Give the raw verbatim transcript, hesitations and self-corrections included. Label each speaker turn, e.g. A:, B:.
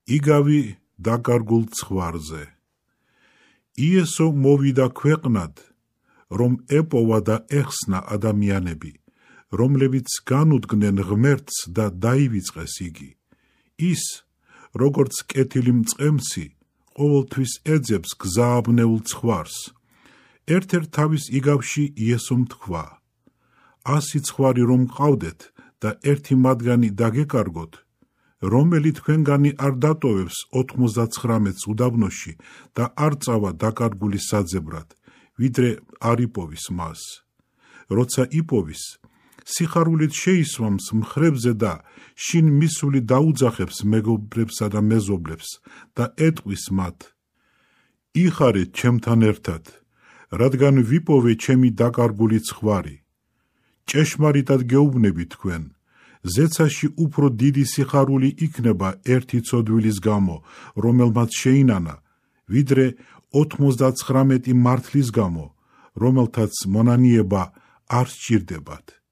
A: იგავი დაკარგულ ცხვარზე. იესო მოვიდა ქვეყნად, რომ ეპოვა და ეხსნა ადამიანები, რომლებიც განუდგნენ ღმერთს და დაივიწყეს იგი. ის, როგორც კეთილი მწყემსი, ყოველთვის ეძებს გზააბნეულ ცხვარს. ერთ-ერთ თავის იგავში იესომ თქვა: ასი ცხვარი რომ გყავდეთ და ერთი მათგანი დაგეკარგოთ, რომელი თქვენგანი არ დატოვებს ოთხმოცდაცხრამეტს უდაბნოში და არ წავა დაკარგული საძებრად, ვიდრე არ იპოვის მას. როცა იპოვის, სიხარულით შეისვამს მხრებზე და შინ მისული დაუძახებს მეგობრებსა და მეზობლებს და ეტყვის მათ: იხარეთ ჩემთან ერთად, რადგან ვიპოვე ჩემი დაკარგული ცხვარი. ჭეშმარიტად გეუბნები თქვენ, ზეცაში უფრო დიდი სიხარული იქნება ერთი ცოდვილის გამო, რომელმაც შეინანა, ვიდრე ოთხმოცდაცხრამეტი მართლის გამო, რომელთაც მონანიება არ სჭირდებათ.